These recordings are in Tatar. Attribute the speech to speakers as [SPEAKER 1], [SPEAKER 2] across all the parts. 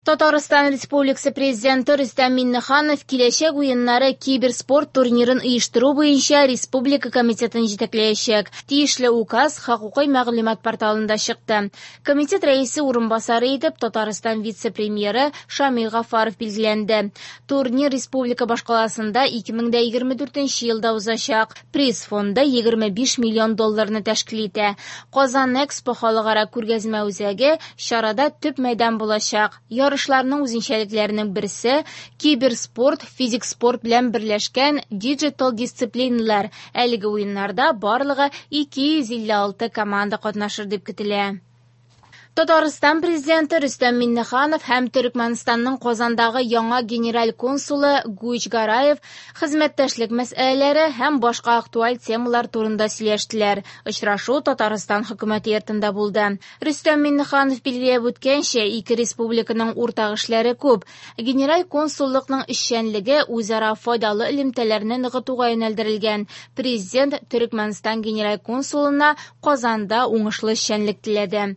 [SPEAKER 1] Татарстан Республикасы Президенты Рөстәм Миңнеханов Киләчәк уеннары киберспорт турнирын оештыру буенча республика комитетын җитәкләячәк. Тиешле указ хокукый мәгълүмат порталында чыкты. Комитет рәисе урынбасары итеп Татарстан вице-премьеры Шамил Гафаров билгеләнде. Турнир республика башкаласында 2024 елда узачак. Приз фонды 25 миллион долларны тәшкил итә. Казан Экспо халыкара күргәзмә үзәге чарада төп мәйдан булачак. Ярышларның үзенчәлекләренең берсе киберспорт, физик спорт белән берләшкән диджитал дисциплиналар. Әлеге уеннарда барлыгы 256 команда катнашыр дип көтелә. Татарстан президенты Рөстәм Миңнеханов һәм Төрекмәнстанның Казандагы яңа генераль консулы Гуч Гараев хезмәттәшлек мәсьәләләре һәм башка актуаль темалар турында сөйләштеләр. Очрашу Татарстан хөкүмәте йортында булды. Рөстәм Миңнеханов билгеләп үткәнчә, ике республиканың уртак эшләре күп. Генераль консуллыкның эшчәнлеге үзара файдалы элемтәләрне ныгытуга юнәлдерелгән. Президент Төрекмәнстан генераль консулына Казанда уңышлы эшчәнлек теләде.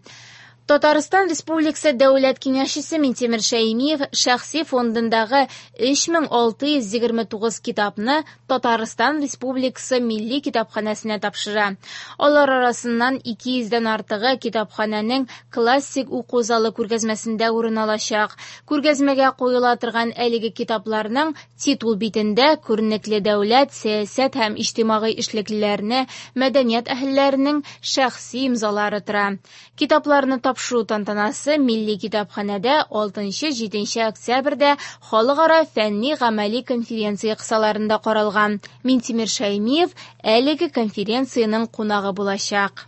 [SPEAKER 1] Татарстан Республикасы Дәүләт Киңәшчесе Минтимер Шәймиев шәхси фондындагы 3629 китапны Татарстан Республикасы Милли китапханәсенә тапшыра. Алар арасыннан 200дән артыгы китапханәнең классик уку залы күргәзмәсендә урын алачак. Күргәзмәгә куела торган әлеге китапларның титул битендә күренекле дәүләт, сәясәт һәм иҗтимагый эшлеклеләрне, мәдәният әһелләренең шәхси имзалары тора. Китапларны тапшыру тантанасы Милли китапханәдә 6-7 октябрьдә халыкара фәнни-гамәли конференция кысаларында каралган. Минтимер Шәймиев әлеге конференциянең кунагы булачак.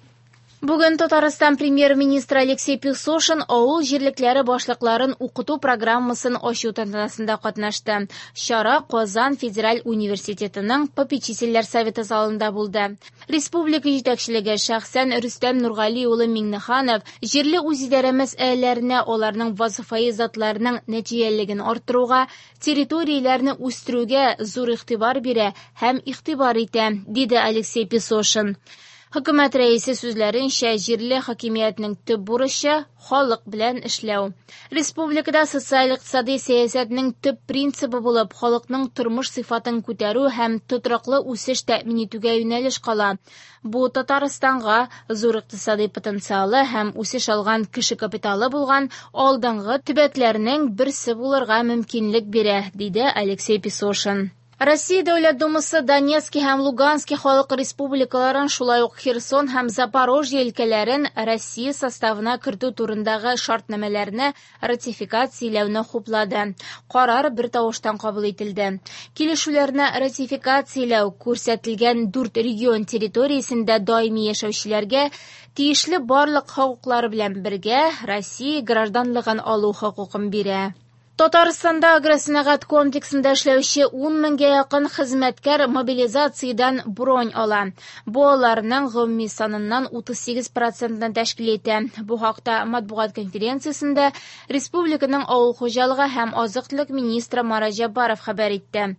[SPEAKER 1] Бүген Татарстан премьер-министры Алексей Песошин авыл җирлекләре башлыкларын укыту программасын ачу тантанасында катнашты. Чара Казан федераль университетының попечительләр советы залында булды. Республика җитәкчелеге шәхсән Рөстәм Нургали улы Миңнеханов җирле үзидарә мәсьәләләренә аларның вазифаи затларының нәтиҗәлелеген арттыруга, территорияләрне үстерүгә зур игътибар бирә һәм игътибар итә, диде Алексей Песошин. Хөкүмәт рәисе сүзләренчә, җирле хакимиятнең төп бурычы халык белән эшләү. Республикада социаль-икътисади сәясәтнең төп принцибы булып халыкның тормыш сыйфатын күтәрү һәм тотрыклы үсеш тәэмин итүгә юнәлеш кала. Бу Татарстанга зур икътисади потенциалы һәм үсеш алган кеше капиталы булган алдынгы төбәкләрнең берсе булырга мөмкинлек бирә, диде Алексей Песошин. Россия Дәүләт Думасы Донецкий һәм Луганский халык республикаларын, шулай ук Херсон һәм Запорожье өлкәләрен Россия составына кертү турындагы шартнамәләрне ратификацияләүне хуплады. Карар бер тавыштан кабул ителде. Килешүләрне ратификацияләү күрсәтелгән дүрт регион территориясендә даими яшәүчеләргә тиешле барлык хокуклары белән бергә Россия гражданлыгын алу хокукын бирә. Татарстанда агросәнәгать комплексында эшләүче 10 меңгә якын хезмәткәр мобилизациядән бронь ала. Бу аларның гомуми саныннан 38 процентын тәшкил итә. Бу хакта матбугат конференциясендә республиканың авыл хуҗалыгы һәм азык-төлек министры Марат Җәббаров хәбәр итте.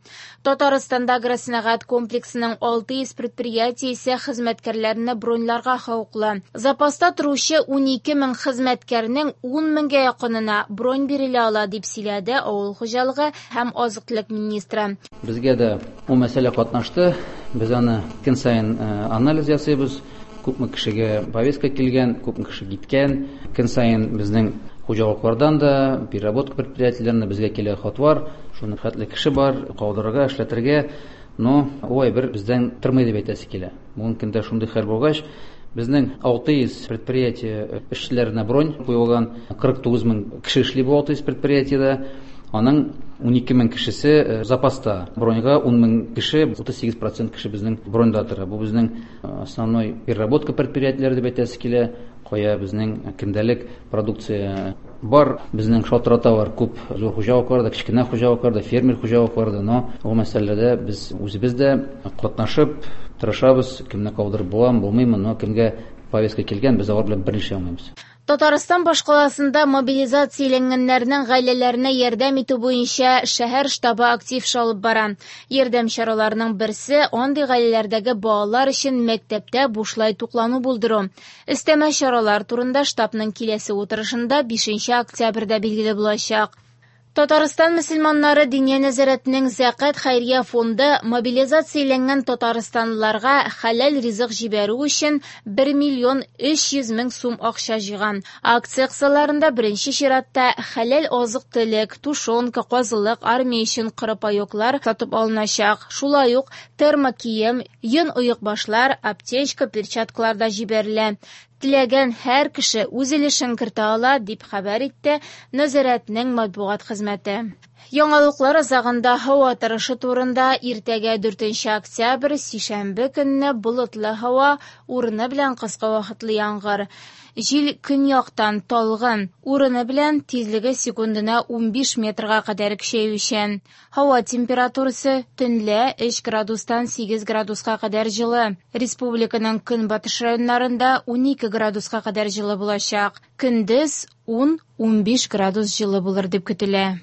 [SPEAKER 1] Татарстанда агросәнәгать комплексының 600 предприятиесе хезмәткәрләрне броньларга хокуклы. Запаста торучы 12 мең хезмәткәрнең 10 меңгә якынына бронь бирелә ала, дип сөйләде авыл хуҗалыгы һәм азык-төлек министры.
[SPEAKER 2] Безгә дә ул мәсьәлә катнашты. Без аны көн саен анализ ясыйбыз. Күпме кешегә повестка килгән, күпме кеше киткән. Көн саен безнең хуҗалыклардан да, переработка предприятиеләреннән безгә килә хатлар. Шуны хәтле кеше бар, калдырырга, эшләтергә. Но ул әйбер бездән тормый дип әйтәсе килә. Бүгенге көндә шундый хәл булгач, безнең 600 предприятие эшчеләренә бронь куелган, 49 мең кеше эшли бу 600 предприятиедә. Аның 12 мең кешесе запаста. Броньга 10 мең кеше, 38% кеше безнең броньда тора. Бу безнең основной переработка предприятиеләре дип әйтәсе килә. Кая безнең көндәлек продукция бар, безнең шалтыраталар күп зур хуҗалыклар да, кечкенә хуҗалыклар да, фермер хуҗалыклар да, но ул мәсьәләдә без үзебез дә катнашып тырышабыз, кемне калдырып буламы, булмыймы, но кемгә повестка килгән, без алар белән берничә алмыйбыз.
[SPEAKER 1] Татарстан башкаласында мобилизацияләнгәннәрнең гаиләләренә ярдәм итү буенча шәһәр штабы актив эш алып бара. Ярдәм чараларының берсе андый гаиләләрдәге балалар өчен мәктәптә бушлай туклану булдыру. Өстәмә чаралар турында штабның киләсе утырышында 5 октябрьдә билгеле булачак. Татарстан мөселманнары Диния нәзарәтенең Зәкят хәйрия фонды мобилизацияләнгән татарстанлыларга хәләл ризык җибәрү өчен 1 миллион 300 мең сум акча җыйган. Акция кысаларында беренче чиратта хәләл азык-төлек, тушенка, казылык, армия өчен коры паёклар сатып алыначак. Шулай ук термокием, йон оекбашлар, аптечка, перчаткалар да җибәрелә. Теләгән һәр кеше үз өлешен кертә ала, дип хәбәр итте нәзарәтнең матбугат хезмәте. Яңалыклар азагында һава торышы турында. Иртәгә 4 октябрь, сишәмбе көнне болытлы һава, урыны белән кыска вакытлы яңгыр. Җил көньяктан талгын, урыны белән тизлеге секундына 15 метрга кадәр көчәючән. Һава температурасы төнлә 3 градустан 8 градуска кадәр җылы. Республиканың көнбатыш районнарында 12 градуска кадәр җылы булачак. Көндез 10-15 градус җылы булыр дип көтелә.